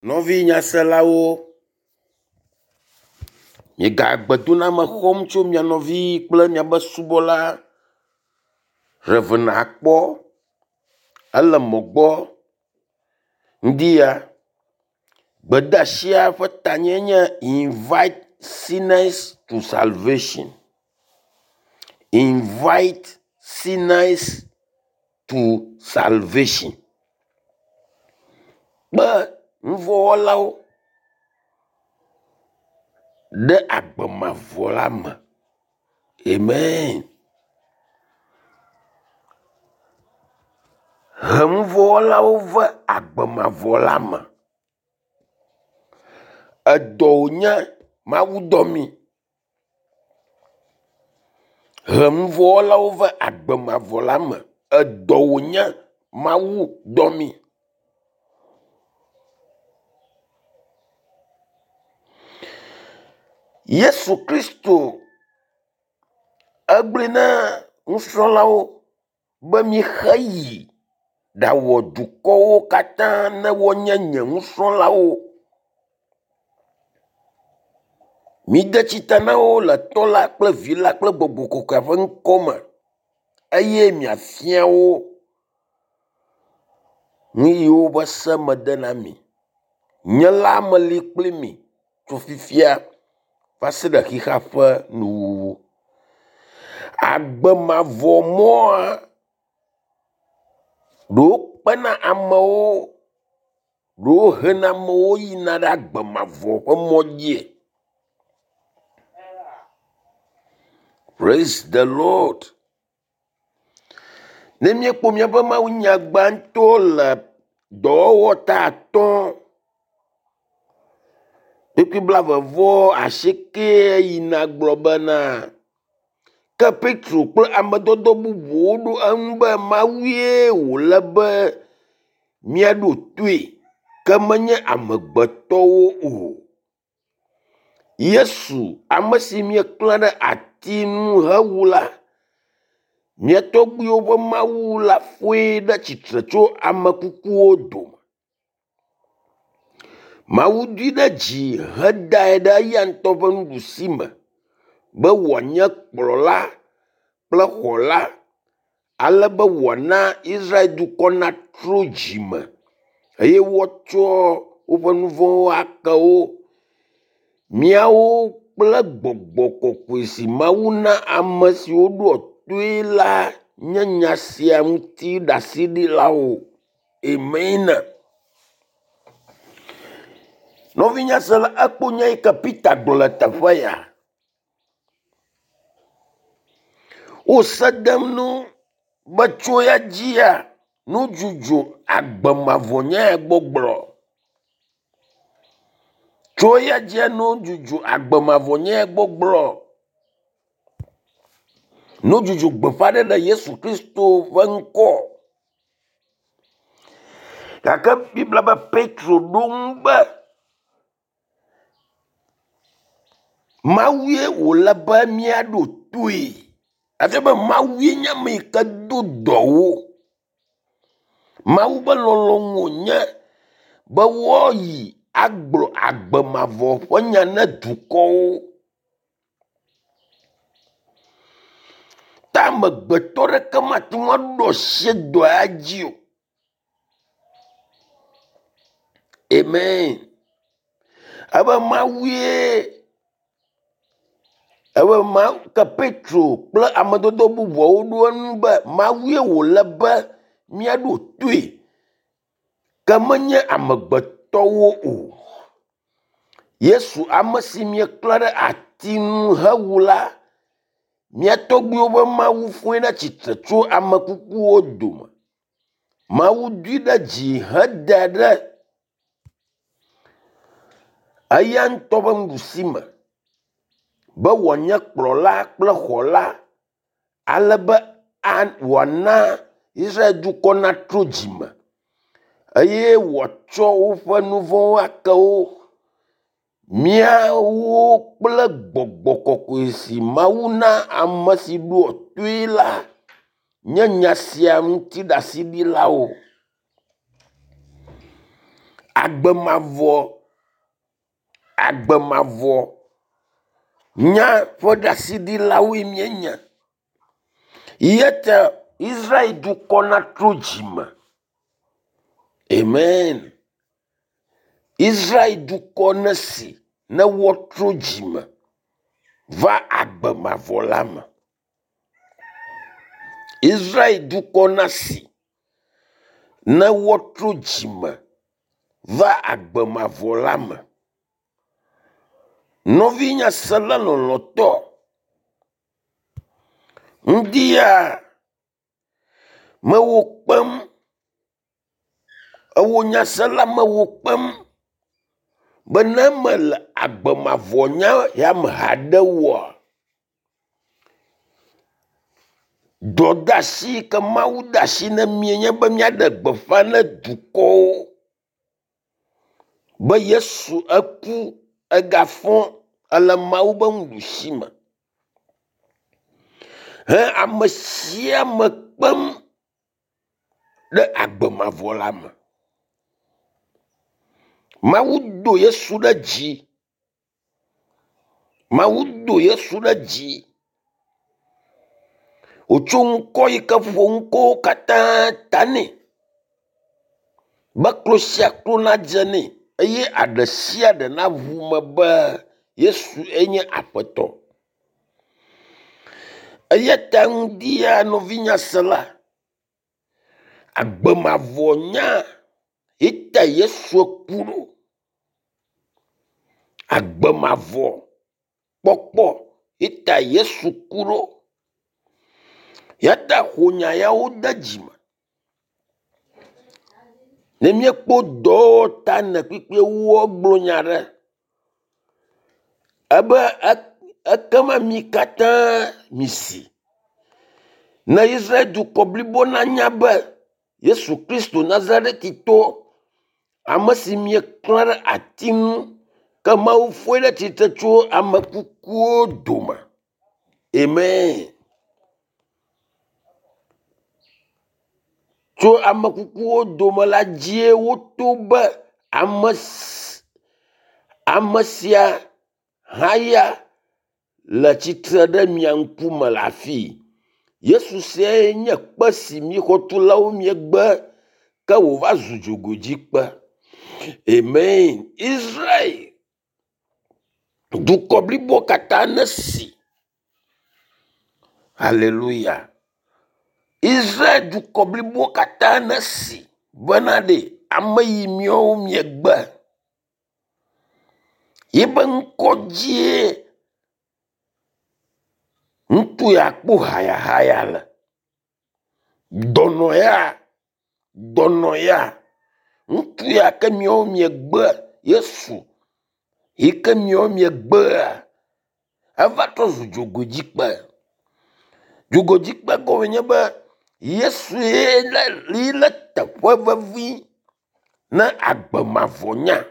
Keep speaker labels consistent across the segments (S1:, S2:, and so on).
S1: Nɔvi nyaselawo, miega gbedoname xɔm tso mia nɔvi kple miabe subɔla Rev. Akpɔ ele mɔ gbɔ. Ŋdi ya gbedeasia ƒe tanye nye invite sinners to salvation. Invite sinners to salvation. Kpe nuvɔ̃wɔlawo ɖe agbe mavɔ la me. Amen. He nuvɔ̃wɔlawo va agbe mavɔ la me. Edɔ wònye Mawu dɔ mí. He nuvɔ̃wɔlawo va agbe mavɔ la me. Edɔ wònye Mawu dɔ mí. Yesu Kristo egblɔe na nusrɔ̃lawo be mixe yi ɖawɔ dukɔwo katã ne woanye nye nusrɔ̃lawo. Mide tsita na wo le Tɔ la kple Vi la kple Gbɔgbɔ Kɔkɔea ƒe ŋkɔ me eye miafia wo nu yiwo be se mede na mi. Nye la meli kpli mi tso fifia va se ɖe xixea ƒe nuwuwu. Agbe mavɔ mɔa ɖewo kpena amewo, ɖewo hena amewo yina ɖe agbe mavɔ ƒe mɔ dzie. Praise the Lord. Ne míekpɔ míaƒe mawunya gbãtɔ le dɔwɔwɔ ta atɔ̃ kpukpui blaeve vɔ asieke yina gblɔ bena ke Petro kple ame dɔdɔ bubuwo ɖo eŋu be Mawue wòle be míaɖo toe ke menye amegbetɔwo o. Yesu, ame si mieklã ɖe ati ŋu hewu la, mia tɔgbuiwo ƒe Mawu la fɔe ɖe tsitre tso ame kukuwo dome. Mawu doe ɖe dzi hedae ɖe eya ŋutɔ ƒe nuɖusi me be wòanye kplɔla kple xɔla ale be wòana Israel dukɔ natrɔ dzime eye woatsɔ woƒe nu vɔ̃wo ake wo. Míawo kple gbɔgbɔ kɔkɔe si Mawu na ame siwo ɖoa toe la nye nya sia ŋuti ɖaseɖilawo. Amen. Nɔvinyasela ekpɔ nya yi ke Peter gblɔ le teƒe ya. Wo se dem nu be tso ya dzia nudzudzo agbe mavɔ nya ya gbɔgblɔ. Tso ya dzia nudzudzo agbe mavɔ nya ya gbɔgblɔ. Nudzudzo gbeƒãɖeɖe Yesu Kristo ƒe ŋkɔ. Gake Biblia be Petro ɖo ŋu be Mawue wòle be míaɖo toe. Efia be Mawue nye ame yi ke do dɔ wo. Mawu ƒe lɔlɔ̃nu wònye be woayi agblɔ agbe mavɔ ƒe nya na dukɔwo. Ta amegbetɔ ɖeke mate ŋu aɖo asi dɔ ya dzi o. Amen. Ebe Mawue ebe ma ke Petro kple ame dɔdɔ bubuawo ɖo eŋu be Mawue wòle be míaɖo toe ke menye amegbetɔwo o. Yesu ame si mieklã ɖe ati ŋu hewu la, mía tɔgbuiwo ƒe Mawu fɔe ɖe tsitre tso ame kukuwo dome. Mawu doe ɖe dzi hedae ɖe eya ŋutɔ ƒe nuɖusi me be wòanye kplɔla kple xɔla ale be wòana Israel dukɔ natrɔ dzime eye wòatsɔ woƒe nu vɔ̃wo ake wo. Míawo kple gbɔgbɔ kɔkɔe si Mawu na ame si ɖoa toe la nye nya sia ŋuti ɖaseɖilawo. Agbe mavɔ, agbe mavɔ nya ƒe ɖaseɖilawoe míenye. Eya ta Israel dukɔ natrɔ dzime. Amen. Israel dukɔ nesi ne woatrɔ dzime va agbe mavɔ la me. Israel dukɔ nasi ne woatrɔ dzime va agbe mavɔ la me. Nɔvi nyasela lɔlɔ̃tɔ, ŋdi ya mewò kpem, ewò nyasela mewò kpem be ne mele agbe mavɔ nya ya me haɖe oa, dɔdeasi yi ke Mawu de asi na mí nye be míaɖe gbeƒã na dukɔwo be Yesu eku egafɔ ele Mawu be nuɖusi me. He ame sia ame kpem ɖe agbe mavɔ la me. Mawu do Yesu ɖe dzi. Mawu do Yesu ɖe dzi. Wòtso ŋkɔ yi ke ƒo ŋkɔwo katã ta nɛ be klo sia klo nadze nɛ eye aɖe sia aɖe naʋu me be Yesu enye Aƒetɔ. Eya ta ŋdi ya nɔvinyasela, agbe mavɔ nya ye ta Yesu ku ɖo. Agbe mavɔ kpɔkpɔ ye ta Yesu ku ɖo. Ya ta xɔ nya yawo de dzime. Ne míekpɔ dɔwɔta ne kpikpi woagblɔ nya ɖe ebe ekema mi katã misi. Ne Israel dukɔ blibo nanya be Yesu Kristo Nazaretitɔ, ame si mieklã ɖe ati ŋu ke Mawu fɔe ɖe tsitre tso ame kukuwo dome. Amen. Tso ame kukuwo dome la dzie woto be ame ame sia haya le tsitre ɖe mia ŋkume le afii. Yesu siae nye kpe si mi xɔtulawo miegbe ke wòva zu dzogoedzikpe. Amen. Israel dukɔ blibo katã nesi. Haleluya. Israel dukɔ blibo katã nesi bena ɖe ame yi miawo miegbe yibe ŋkɔ dzie ŋutsu ya kpɔ hayahaya le. Dɔnɔ ya, dɔnɔ ya, ŋutsu ya ke miawo miegbe Yesu yi ke miawo miegbea eva trɔ zu dzogoedzikpe. Dzogoedzikpe gɔme nye be Yesu ye le ye le teƒe vevi ne agbe mavɔ nya.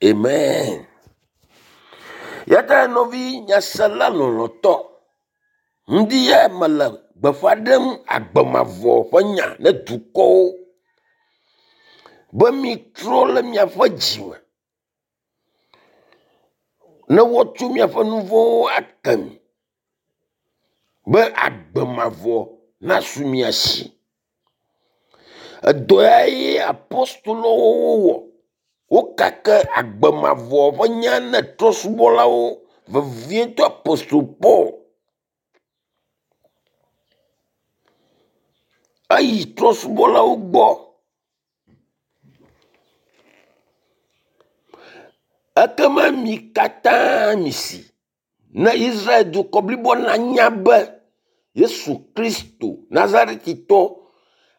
S1: Amen. Ya ta nɔvi nyasela lɔlɔ̃tɔ, ŋdi ya mele gbeƒã ɖem agbe mavɔ ƒe nya ne dukɔwo be mitrɔ le miaƒe dzime ne woatso miaƒe nu vɔ̃wo ake mi be agbe mavɔ nasu mia si. Edɔ ya ye apostolowo wowɔ. Wokake agbe mavɔ ƒe nya ne trɔ̃subɔlawo vevietɔ apostol Paul. Eyi trɔ̃subɔlawo gbɔ. Ekema mi katã misi ne Israel dukɔ blibo nanya be Yesu Kristo Nazaretitɔ,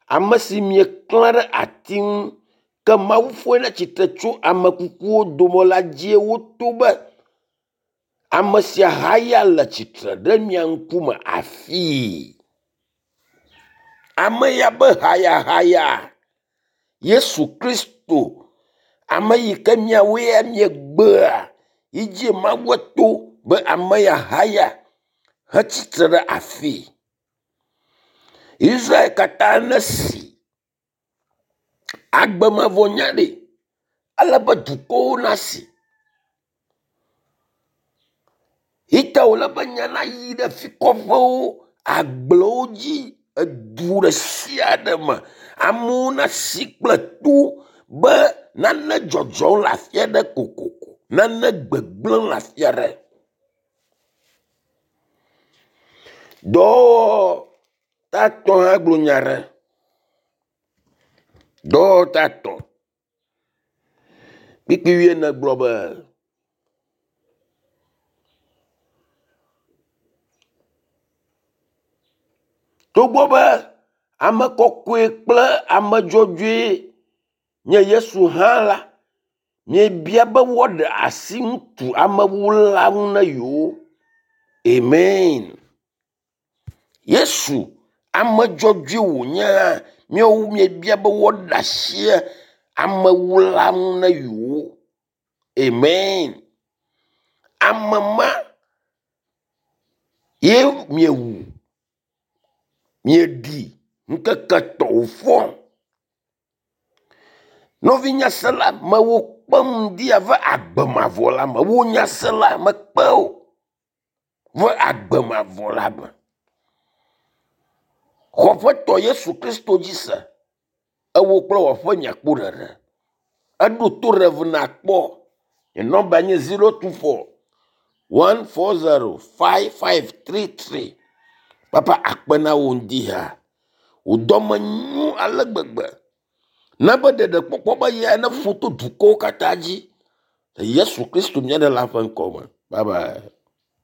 S1: ame si mieklã ɖe ati ŋu ke Mawu fɔe ɖe tsitre tso ame kukuwo dome la dzie woto be ame sia haya le tsitre ɖe mia ŋkume afii. Ame ya be hayahaya Yesu Kristo, ame yi ke miawoe ya miegbea yi dzi Mawu to be ame ya haya hetsitre ɖe afii. Israel katã nesi. Agbe mavɔ nya ɖe, ele be dukɔwo nasi. Yi ta wòle be nya nayi ɖe fi kɔƒewo, agblewo dzi, edu ɖe sia ɖe me. Amewo nasi kple to be nane dzɔdzɔm le afi aɖe kokoko, nane gbegblẽm le afi aɖe. Dɔwɔwɔ tatɔ hã gblɔ nya ɖe. Dɔwɔwɔ tatɔ. Kpikpi wuiene gblɔ be togbɔ be ame kɔkɔe kple ame dzɔdzɔe nye Yesu hã la, miebia be woaɖe asi ŋutsu amewula ŋu na yewo. Amen. Yesu ame dzɔdzɔe wònye hã, míawo miebia be woaɖe asi amewula ŋu na yewo. Amen. Ame ma ye miewu, mieɖi ŋkeke etɔ̃ wòfɔ. Nɔvi nyasela, mewò kpem ŋdi ava agbe mavɔ la me. Wò nyasela, mekpe wò va agbe mavɔ la me. Xɔ Aƒetɔ Yesu Kristo dzi se. Ewò kple wò aƒe miakpɔ ɖeɖe. Eɖo to ɖe nakpɔ. Nye nɔmba nye 024 140 5533. Papa akpe na wò ŋdi ha. Wò dɔme nyo ale gbegbe. Na be ɖeɖekpɔkpɔ be ya neƒo to dukɔwo katã dzi. Le Yesu Kristo mía Ɖela ƒe ŋkɔ me. Bye bye.